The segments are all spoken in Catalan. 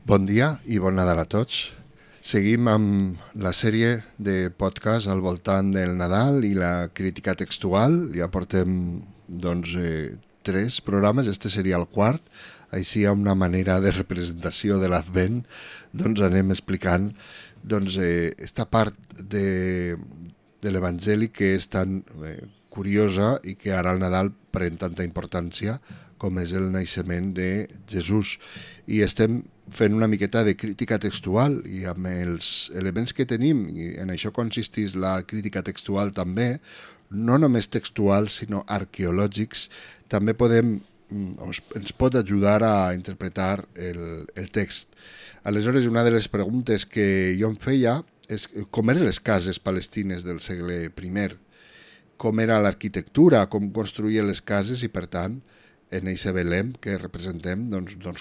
Bon dia i bon Nadal a tots. Seguim amb la sèrie de podcast al voltant del Nadal i la crítica textual. Ja portem 3 programes, este seria el quart. Així, hi ha una manera de representació de l'Advent, anem explicant esta part de l'Evangeli que és tan curiosa i que ara al Nadal pren tanta importància com és el naixement de Jesús. I estem fent una miqueta de crítica textual i amb els elements que tenim, i en això consisteix la crítica textual també, no només textuals sinó arqueològics, també ens pot ajudar a interpretar el text. Aleshores, una de les preguntes que jo em feia és com eren les cases palestines del segle I, com era l'arquitectura, com construïen les cases i, per tant, en aquest Belém que representem,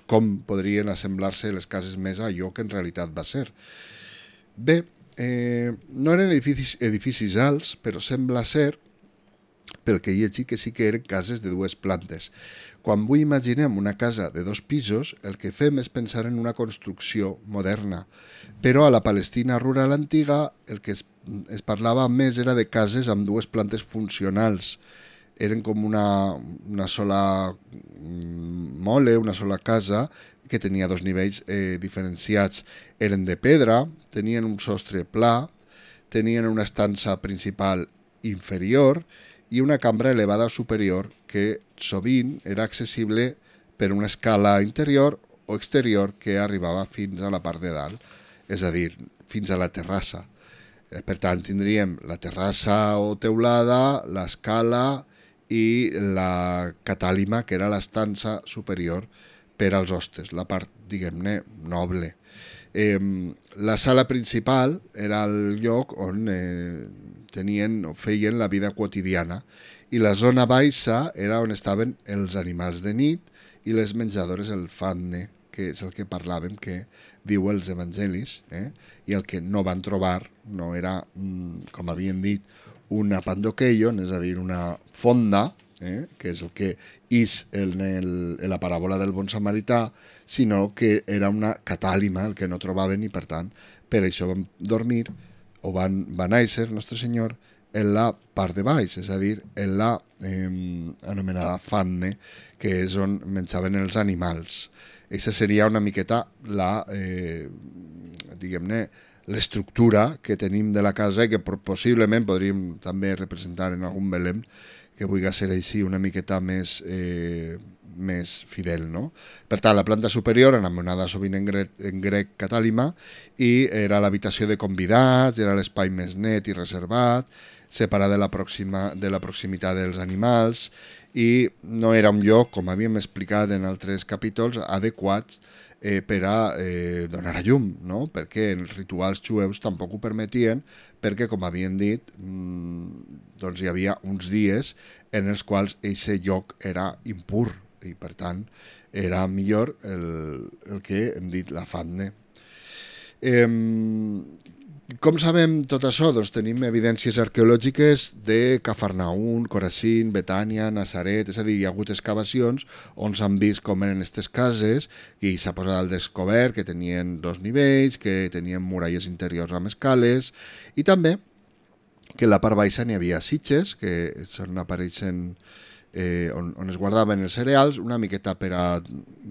com podrien assemblar-se les cases més a allò que en realitat va ser. Bé, no eren edificis alts, però sembla ser, pel que he llegit, que sí que eren cases de 2 plantes. Quan avui imaginem una casa de 2 pisos, el que fem és pensar en una construcció moderna. Però a la Palestina rural antiga el que es parlava més era de cases amb 2 plantes funcionals. Eren com una sola mole, una sola casa, que tenia 2 nivells diferenciats. Eren de pedra, tenien un sostre pla, tenien una estança principal inferior i una cambra elevada superior que sovint era accessible per una escala interior o exterior que arribava fins a la part de dalt, és a dir, fins a la terrassa. Per tant, tindríem la terrassa o teulada, l'escala i la catàlima, que era l'estança superior per als hostes, la part, diguem-ne, noble. La sala principal era el lloc on feien la vida quotidiana i la zona baixa era on estaven els animals de nit i les menjadores, el fatne, que és el que parlàvem, que diu els evangelis, i el que no van trobar no era, com havien dit, una pandoqueion, és a dir, una fonda, que és el que és en la paràbola del bon samarità, sinó que era una catàlima, el que no trobaven, i per tant, per això van dormir, o van néixer, Nostre Senyor, en la part de baix, és a dir, en la anomenada fanne, que és on menjaven els animals. Aquesta seria una miqueta diguem-ne, l'estructura que tenim de la casa i que possiblement podríem també representar en algun Belém que vulgui ser així una miqueta més fidel, no? Per tant, la planta superior, anomenada sovint en grec catàlima, i era l'habitació de convidats, era l'espai més net i reservat, separat de la proximitat dels animals, i no era un lloc, com havíem explicat en altres capítols, adequats per a donar a llum, no? Perquè els rituals jueus tampoc ho permetien, perquè, com havien dit, hi havia uns dies en els quals aquest lloc era impur i, per tant, era millor el que hem dit la fatne. Com sabem tot això? Tenim evidències arqueològiques de Cafarnaún, Corazín, Betània, Nazaret, és a dir, hi ha hagut excavacions on s'han vist com eren aquestes cases i s'ha posat al descobert que tenien 2 nivells, que tenien muralles interiors amb escales i també que en la part baixa n'hi havia sitges que apareixen on es guardaven els cereals, una miqueta per a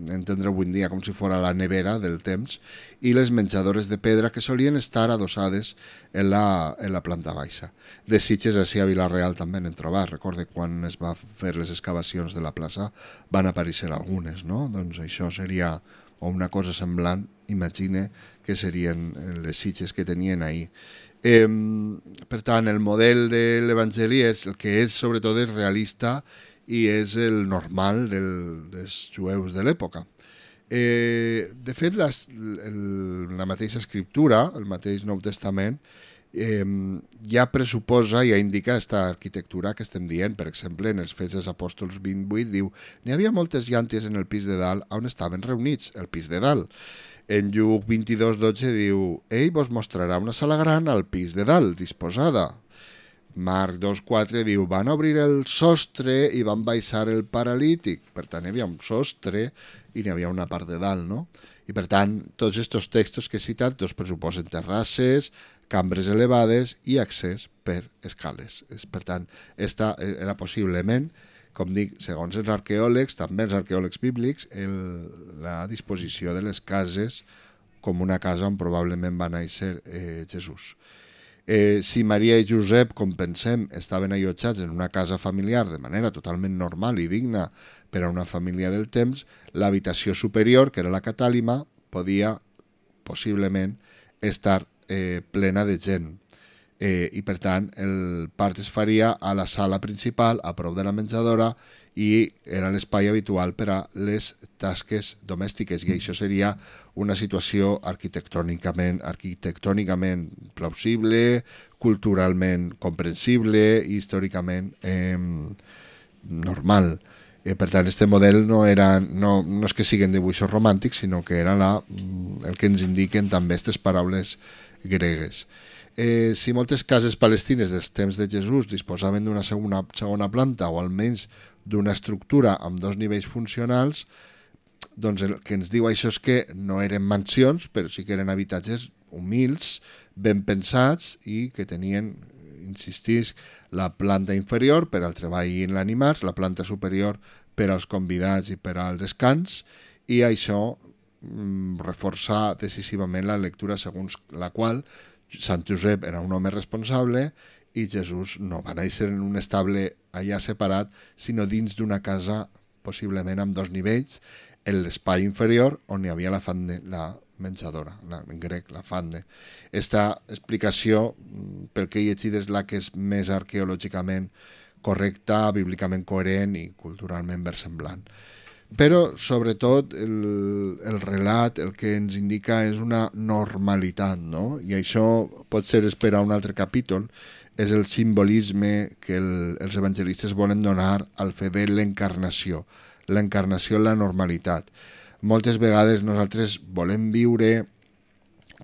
entendre avui en dia com si fos la nevera del temps, i les menjadores de pedra que solien estar adossades en la planta baixa. De sitges, així a Vila-real també n'hem trobat. Recorde quan es va fer les excavacions de la plaça van aparèixer algunes, no? Doncs això seria una cosa semblant, imagine, que serien les sitges que tenien ahir. Per tant, el model de l'Evangeli és el que és, sobretot, és realista i és el normal dels jueus de l'època. De fet, la mateixa escriptura, el mateix Nou Testament, ja pressuposa, ja indica aquesta arquitectura que estem dient. Per exemple, en els Fets dels Apòstols 28 diu: n'hi havia moltes llànties en el pis de dalt on estaven reunits, el pis de dalt. En Lluc 22:12 diu: ell vos mostrarà una sala gran al pis de dalt, disposada. Marc 2.4 diu, van obrir el sostre i van baixar el paralític. Per tant, hi havia un sostre i n'hi havia una part de dalt, no? I per tant, tots aquests textos que he citat pressuposen terrasses, cambres elevades i accés per escales. Per tant, esta era possiblement, com dic, segons els arqueòlegs, també els arqueòlegs bíblics, la disposició de les cases com una casa on probablement va néixer Jesús. Si Maria i Josep, com pensem, estaven allotjats en una casa familiar de manera totalment normal i digna per a una família del temps, l'habitació superior, que era la catàlima, podia possiblement estar plena de gent. I per tant el part es faria a la sala principal, a prop de la menjadora, i era l'espai habitual per a les tasques domèstiques, i això seria una situació arquitectònicament plausible, culturalment comprensible i històricament normal. Per tant, aquest model no és que siguin dibuixos romàntics, sinó que era el que ens indiquen també aquestes paraules gregues. Si moltes cases palestines dels temps de Jesús disposaven d'una segona planta o almenys d'una estructura amb 2 nivells funcionals, doncs el que ens diu això és que no eren mansions, però sí que eren habitatges humils, ben pensats i que tenien, insistís, la planta inferior per al treball en l'animals, la planta superior per als convidats i per al descans, i això reforça decisivament la lectura segons la qual Sant Josep era un home responsable i Jesús no va néixer en un estable allà separat, sinó dins d'una casa possiblement amb 2 nivells, en l'espai inferior on hi havia la menjadora, en grec la fande. Esta explicació, pel que he llegit, és la que és més arqueològicament correcta, bíblicament coherent i culturalment versemblant. Però, sobretot, el relat el que ens indica és una normalitat, no? I això pot ser per a un altre capítol, és el simbolisme que els evangelistes volen donar al fet de l'encarnació. L'encarnació en la normalitat. Moltes vegades nosaltres volem viure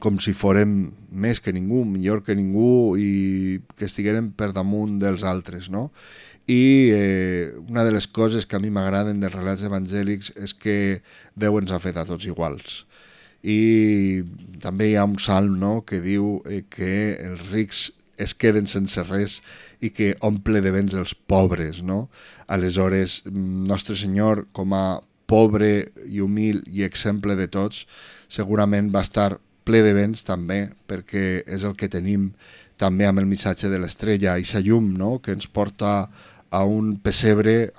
com si fórem més que ningú, millor que ningú i que estiguérem per damunt dels altres, no? I una de les coses que a mi m'agraden dels relats evangèlics és que Déu ens ha fet a tots iguals. I també hi ha un salm, no?, que diu que els rics es queden sense res i que omple de béns els pobres, no? Aleshores, Nostre Senyor, com a pobre i humil i exemple de tots, segurament va estar ple de béns també, perquè és el que tenim també amb el missatge de l'estrella, i sa llum, no?, que ens porta a un pessebre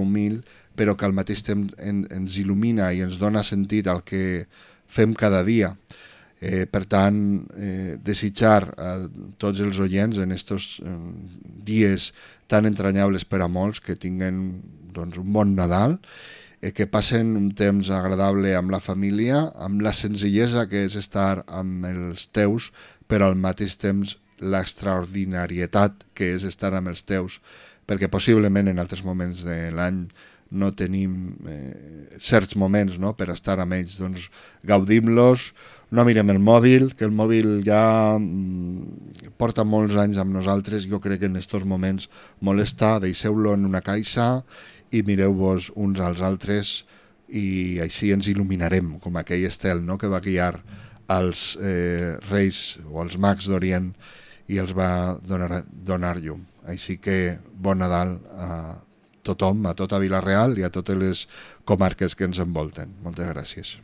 humil, però que al mateix temps ens il·lumina i ens dona sentit al que fem cada dia. Per tant, desitjar a tots els oients en aquests dies tan entranyables per a molts que tinguen un bon Nadal, que passen un temps agradable amb la família, amb la senzillesa que és estar amb els teus, però al mateix temps l'extraordinarietat que és estar amb els teus, perquè possiblement en altres moments de l'any no tenim certs moments, no?, per estar amb ells. Doncs gaudim-los, no mirem el mòbil, que el mòbil ja porta molts anys amb nosaltres. Jo crec que en aquests moments molesta, deixeu-lo en una caixa i mireu-vos uns als altres i així ens il·luminarem, com aquell estel, no?, que va guiar als reis o als mags d'Orient i els va donar llum. Així que bon Nadal a tothom, a tota Vila-real i a totes les comarques que ens envolten. Moltes gràcies.